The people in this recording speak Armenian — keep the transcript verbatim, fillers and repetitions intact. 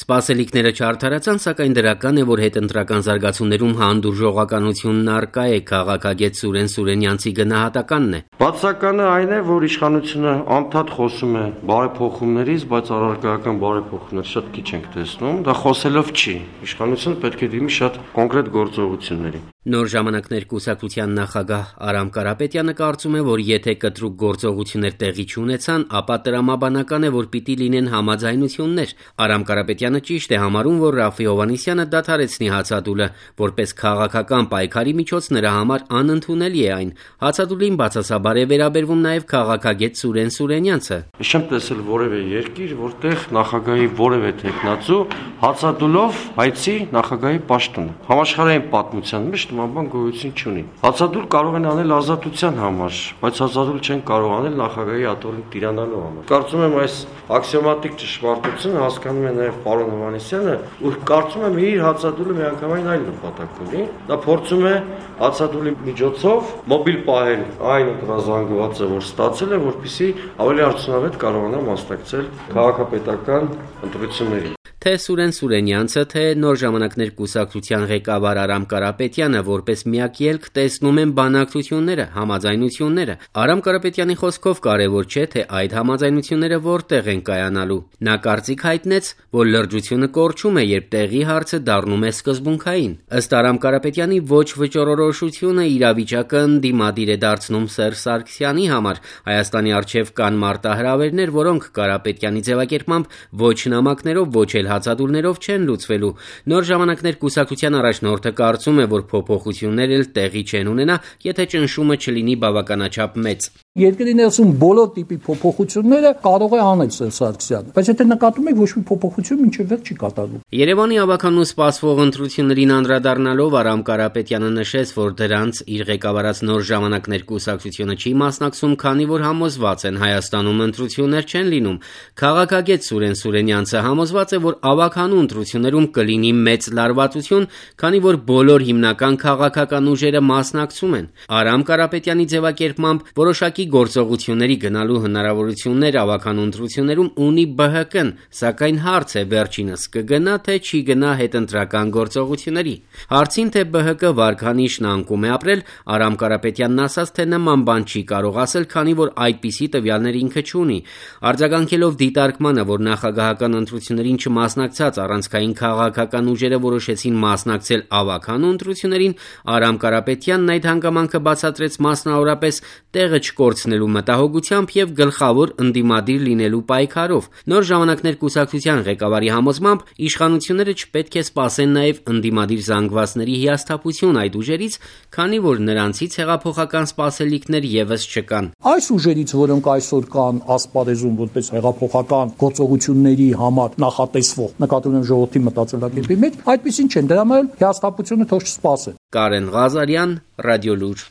Սպասելիքները չարդարացան, սակայն դրական է, որ հետընտրական զարգացումներում հանդուրժողականությունն առկա է, քաղաքագետ Սուրեն Սուրենյանցի գնահատականն է։ Բացականը այն է, որ իշխանությունը անդադ խոսում է բարեփոխումներից, բայց առարկայական բարեփոխումներ շատ քիչ ենք տեսնում, դա խոսելով չի։ Իշխանությունը պետք է դիմի շատ կոնկրետ գործողությունների։ Նոր ժամանակներ կուսակցության նախագահ Արամ Կարապետյանը կարծում է, որ եթե կտրուկ գործողություններ տեղի չունեցան, ապա տրամաբանական է, որ պիտի լինեն համաձայնություններ։ Արամ Կարապետյանը ճիշտ է համարում, որ Ռաֆֆի Հովհաննիսյանը դադարեցնի հացադուլը, որպես քաղաքական պայքարի միջոց նրա համար անընդունելի է այն։ Հացադուլին բացասաբար է վերաբերվում նաև քաղաքագետ Սուրեն Սուրենյանցը։ Չեմ տեսել որևէ երկիր, որտեղ նախագահի որևէ տեխնացու հացադուլով հայցի նախագահի պաշտոնը։ Համաշխարհային պատմության մեջ նման գոյություն չունի։ Հացադուլ կարող են անել ազատության համար, բայց հացադուլ չեն կարող անել նախագահի աթոռին տիրանալու համար։ Կարծում եմ այս աքսիոմատիկ ճշմարտությունը հասկանում է նաև պարոն Հովհաննիսյանը, ու կարծում եմ իր հացադուլը միանգամայն այլ նպատակ ունի։ Նա փորձում է հացադուլի միջոցով մոբիլ պահել այն ընտրազանգվածը, որ ստացել է, որպեսզի ավելի արդյունավետ կարողանա մասնակցել քաղաքապետական ընտրություններին։ Թե Սուրեն Սուրենյանցը, թե Նոր ժամանակներ կուսակցության ղեկավար Արամ Կարապետյանը որպես միակ ելք տեսնում են բանակցությունները, համաձայնությունները։ Արամ Կարապետյանի խոսքով կարևոր չէ, թե այդ համաձայնությունները որտեղ են կայանալու։ Նա կարծիք հայտնեց, որ լրջությունը կորչում է, երբ տեղի հարցը դառնում է սկզբունքային։ Ըստ Արամ Կարապետյանի, ոչ վճռորոշությունը իրավիճակը ընդդիմադիր է դարձնում Սերժ Սարգսյանի համար։ Հայաստանի առջև կան մարտահրավերներ, որոնք Կարապետյանի ձևակերպմամբ ոչ նամակներով, ոչ էլ հացադուլներով չեն լուծվելու։ Նոր ժամանակներ կուսակցության առաջնորդը կարծում է, որ փոփոխություններ էլ տեղի չեն ունենա, եթե ճնշումը չլինի բավականաչափ մեծ։ Երկրի ներսում բոլոր տիպի փոփոխությունները կարող է անել Սերժ Սարգսյանը, բայց եթե նկատում եք, ոչ մի փոփոխություն մինչև վերջ չի կատարվում։ Երևանի ավականու սպասվող ընտրություններին անդրադառնալով Արամ Կարապետյանը նշեց, որ դրանց իր ղեկավարած Նոր ժամանակներ կուսակցությունը չի մասնակցում, քանի որ համոզված են Հայաստանում ընտրություններ չեն լինում։ Քաղաքագետ Սուրեն Սուրենյանցը համոզված է, որ ավականու ընտրություններում կլինի մեծ լարվածություն, քանի որ բոլոր հիմնական քաղաքական ուժերը մասնակցում են։ Արամ Կարապետյանի ձևակերպմամբ որոշակի գործողությունների գնալու հնարավորություններ ավականու ընտրություններում ունի Բ Հ Կ-ն, սակայն հարց է վերջինս կգնա թե չի գնա հետընտրական գործողությունների։ Հարցին, թե Բ Հ Կ վարկանիշն անկում է ապրել, Արամ Կարապետյանն ասաց, թե նման բան չի կարող ասել, քանի որ այդպիսի տվյալներ ինքը չունի։ Արձագանքելով դիտարկմանը, որ նախագահական ընտրություններին չմասնակցած առանցքային քաղաքական ուժերը որոշեցին մասնակցել ավականու ընտրություններին, Արամ Կարապետյանն այդ հանգամանքը բացատրեց մասնավորապես տեղը չկորցնելու մտահոգությամբ եւ գլխավոր ընդդիմադիր լինելու պայքարով։ Նոր ժամանակներ կուսակցության ղեկավարի համոզմամբ իշխանությունները չպետք է սպասեն նաեւ ընդդիմադիր զանգվածների հիասթափություն այդ ուժերից, քանի որ նրանցից հեղափոխական սպասելիքներ եւս չկան։ Այս ուժերից, որոնք այսօր կան ասպարեզում որպես հեղափոխական գործողությունների համար նախատեսվող, նկատում եմ ժողովրդի մտածելակերպի մեջ, այդպեսին չեն, դրա համար հիասթափությունը թող չսպասեն։ Կարեն Ղազարյան, Ռադիոլուր։